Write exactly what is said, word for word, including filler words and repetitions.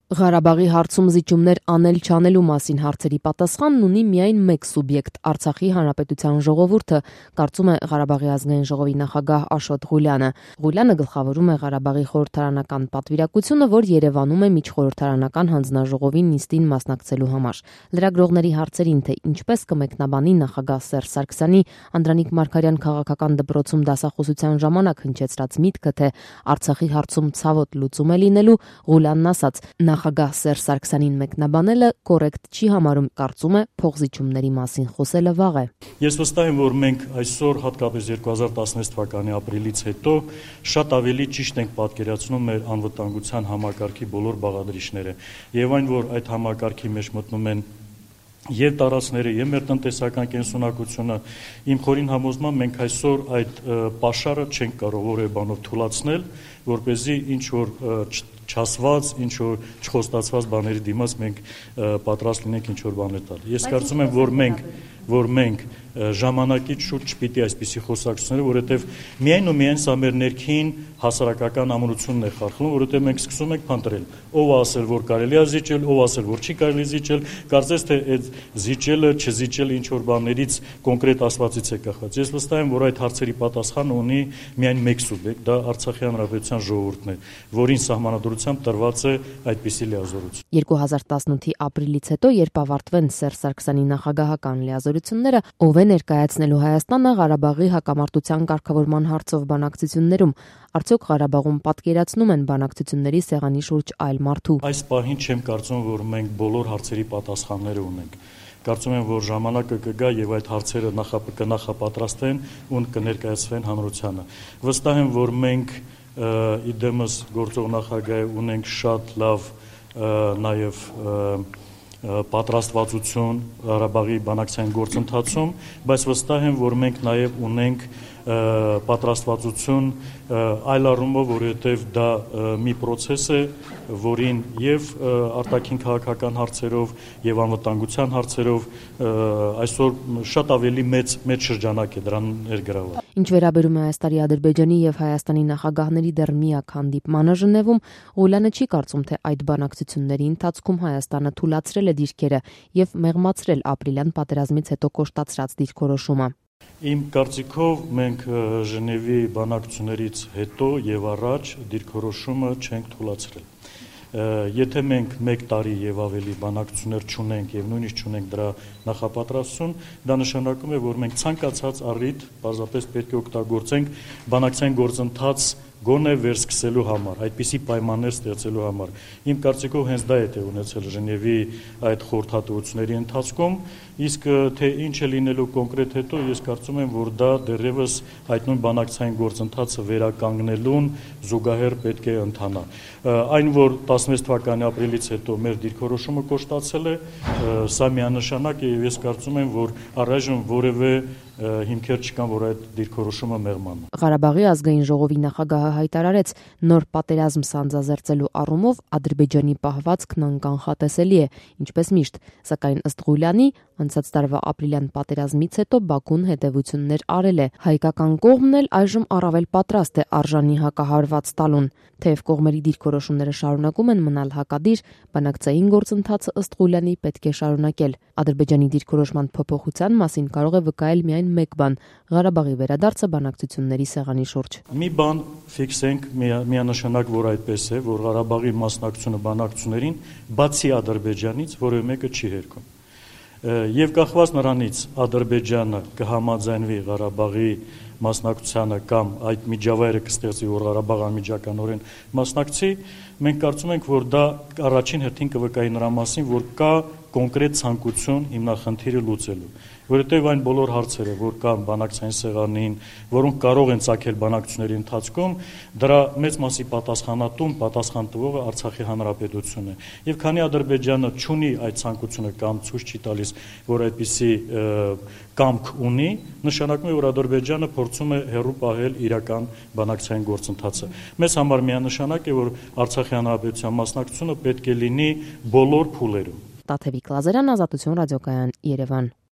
Ղարաբաղի հարցում զիջումներ անել-չանելու մասին հարցերի պատասխանն ունի միայն մեկ սուբյեկտ՝ Արցախի Հանրապետության ժողովուրդը, կարծում է Ղարաբաղի ազգային ժողովի նախագահ Աշոտ Ղուլյանը։ Ղուլյանը գլխավորում է Ղարաբաղի խորհրդարանական պատվիրակությունը, որ Երևանում է միջխորհրդարանական հանձնաժողովի նիստին մասնակցելու համար։ Լրագրողների հարցերին, թե ինչպես կմեկնաբանի նախագահ Սերժ Սարգսյանի Անդրանիկ Մարգարյան քաղաքական դպրոցում դասախոսության ժամանակ հնչեցրած միտքը, թե Արցախի հարցում ցավոտ լուծում է լինելու, Ղուլյանն ասաց. Նախագահ Սերժ Սարգսյանին մեկնաբանելը կոռեկտ չի համարում, կարծում է փոխզիջումների մասին խոսելը վաղ է։ Ես վստահ եմ, որ մենք այսօր, հատկապես երկու հազար տասնվեց թվականի ապրիլից հետո, շատ ավելի ճիշտ ենք պատկերացնում մեր անվտանգության համակարգի բոլոր բաղադրիչները, եւ այն, որ այդ համակարգի մեջ մտնում են եւ տարածքները, եւ մեր տնտեսական կենսունակությունը, իմ խորին համոզմամբ մենք այսօր այդ պաշարը չենք կարող որևէ բանով թուլացնել, որպեսզի ինչ որ չասված, ինչ որ չխոստացված բաների դիմաց մենք պատրաստ լինենք ինչ որ բաներ տալ։ Ես կարծում եմ, որ մենք որ մենք ժամանակից շուտ չպիտի այսպիսի խոսակցությունները, որովհետև միայն ու միայն սա մեր ներքին հասարակական ամրությունն է խարխլում, որովհետև մենք սկսում ենք փնտրել, ով ասել, որ կարելի է զիջել, ով ասել, որ չի կարելի զիջել, կարծես թե այդ զիջելը, չզիջելը ինչ որ բաներից կոնկրետ ասվածից է կախված։ Ես վստահ եմ, որ այդ հարցերի պատասխանը ունի միայն մեկ սուբյեկտ, դա Արցախի Հանրապետության ժողովուրդն է, որին սահմանադրությամբ տրված է այդպիսի լիազորություն։ երկու հազար տասնութի ապրիլից հետո, երբ ավարտվեն Սերժ Սարգսյանի նախագահական լիազորությունները, ով է ներկայացնելու Հայաստանը Ղարաբաղի հակամարտության կարգավորման հարցով բանակցություններում, արդյոք Ղարաբաղում պատկերացնում են բանակցությունների սեղանի շուրջ այլ մարդու։ Այս պահին չեմ կարծում, որ մենք բոլոր հարցերի պատասխանները ունենք։ Կարծում եմ, որ ժամանակը կգա եւ այդ հարցերը կնախապատրաստվեն ու կներկայացվեն հանրությանը։ Վստահ եմ, որ մենք իդեմս գործող նախագահ ունենք շատ լավ նաեւ պատրաստվածություն Ղարաբաղի բանակցային գործընթացում, բայց վստահ եմ, որ մենք նաև ունենք պատրաստվածություն այլ առումով, որովհետև դա մի process է, որին եւ արտաքին քաղաքական հարցերով եւ անվտանգության հարցերով այսօր շատ ավելի մեծ մեծ շրջանակ է դրան ներգրաված։ Ինչ վերաբերում է այս տարի Ադրբեջանի եւ Հայաստանի նախագահների դեռ միակ հանդիպմանը Ժնևում, Ղուլյանը չի կարծում, թե այդ բանակցությունների ընթացքում Հայաստանը թուլացրել է դիրքերը եւ մեղմացրել ապրիլյան պատերազմից հետո կոշտացրած դիրքորոշումը։ Իմ կարծիքով մենք Ժնևի բանակցություններից հետո եւ առաջ դիրքորոշումը չենք թուլացրել։ Եթե մենք մեկ տարի եւ ավելի բանակցություններ չունենք եւ նույնիսկ չունենք դրա նախապատրաստություն, դա նշանակում է, որ մենք ցանկացած առիթ պարզապես պետք է օգտագործենք բանակցային գործընթաց գոնե վերսկսելու համար, այդպիսի պայմաններ ստեղծելու համար։ Իմ կարծիքով հենց դա է տեղ ունեցել Ժնևի այդ խորհրդատվությունների ընթացքում, իսկ թե ինչ է լինելու կոնկրետ հետո, ես կարծում եմ, որ դա դեռևս այդ նույն բանակցային գործընթացը վերականգնելուն զուգահեռ պետք է ընթանա։ Այն, որ տասնվեց թվականի ապրիլից հետո մեր դիրքորոշումը կոշտացել է, սա միանշանակ է եւ ես կարծում եմ, որ առայժմ որևէ հիմքեր չկան, որ այդ դիրքորոշումը մեղման։ Ղարաբաղի ազգային ժողովի նախագահը հայտարարեց, նոր պատերազմ սանձազերծելու առումով Ադրբեջանի պահվածքն անկանխատեսելի է, ինչպես միշտ, սակայն ըստ Ղուլյանի, անցած տարվա ապրիլյան պատերազմից հետո Բաքուն հետևություններ արել է։ Հայկական կողմն էլ այժմ առավել պատրաստ է արժանի հակահարված տալուն։ Թեև կողմերի դիրքորոշումները շարունակում են մնալ հակադիր, բանակցային գործընթացը ըստ Ղուլյանի պետք է շարունակել։ Ադրբեջանի դիրքորոշման փոփոխության մասին կարող է վկայել միայն մեկ բան՝ Ղարաբաղի վերադարձը բանակցությունների սեղանի շուրջ։ Մի բան ֆիքսենք միանշանակ, որ այդպես է, որ Ղարաբաղի մասնակցությունը բանակցություններին բացի Ադրբեջանից որևէ մեկը չի հերքում։ Եվ կախված նրանից Ադրբեջանը կհամաձայնվի Ղարաբաղի մասնակցությանը կամ այդ միջավայրը կստեղծի, որ Ղարաբաղը անմիջականորեն մասնակցի, մենք կարծում ենք, որ դա առաջին հերթին կվկայի նրա մասին, որ կա կոնկրետ ցանկություն հիմնախնդիրը լուծելու, որովհետև այն բոլոր հարցերը, որ կան բանակցային սեղանին, որոնք կարող են ծագել բանակցությունների ընթացքում, դրա մեծ մասի պատասխանատուն, պատասխան տվողը Արցախի Հանրապետությունն է։ Եվ քանի Ադրբեջանը չունի այդ ցանկությունը կամ ցույց չի տալիս, որ այդպիսի կամք ունի, նշանակում է, որ Ադրբեջանը փորձում է հեռու պահել իրական բանակցային գործընթացը։ Մեզ համար միանշանակ է, որ Արցախի Հանրապետության մասնակցությունը պետք է լինի բոլոր փուլերում։ Տաթևիկ Լազարյան, Ազատություն ռադիոկայան, Երևան։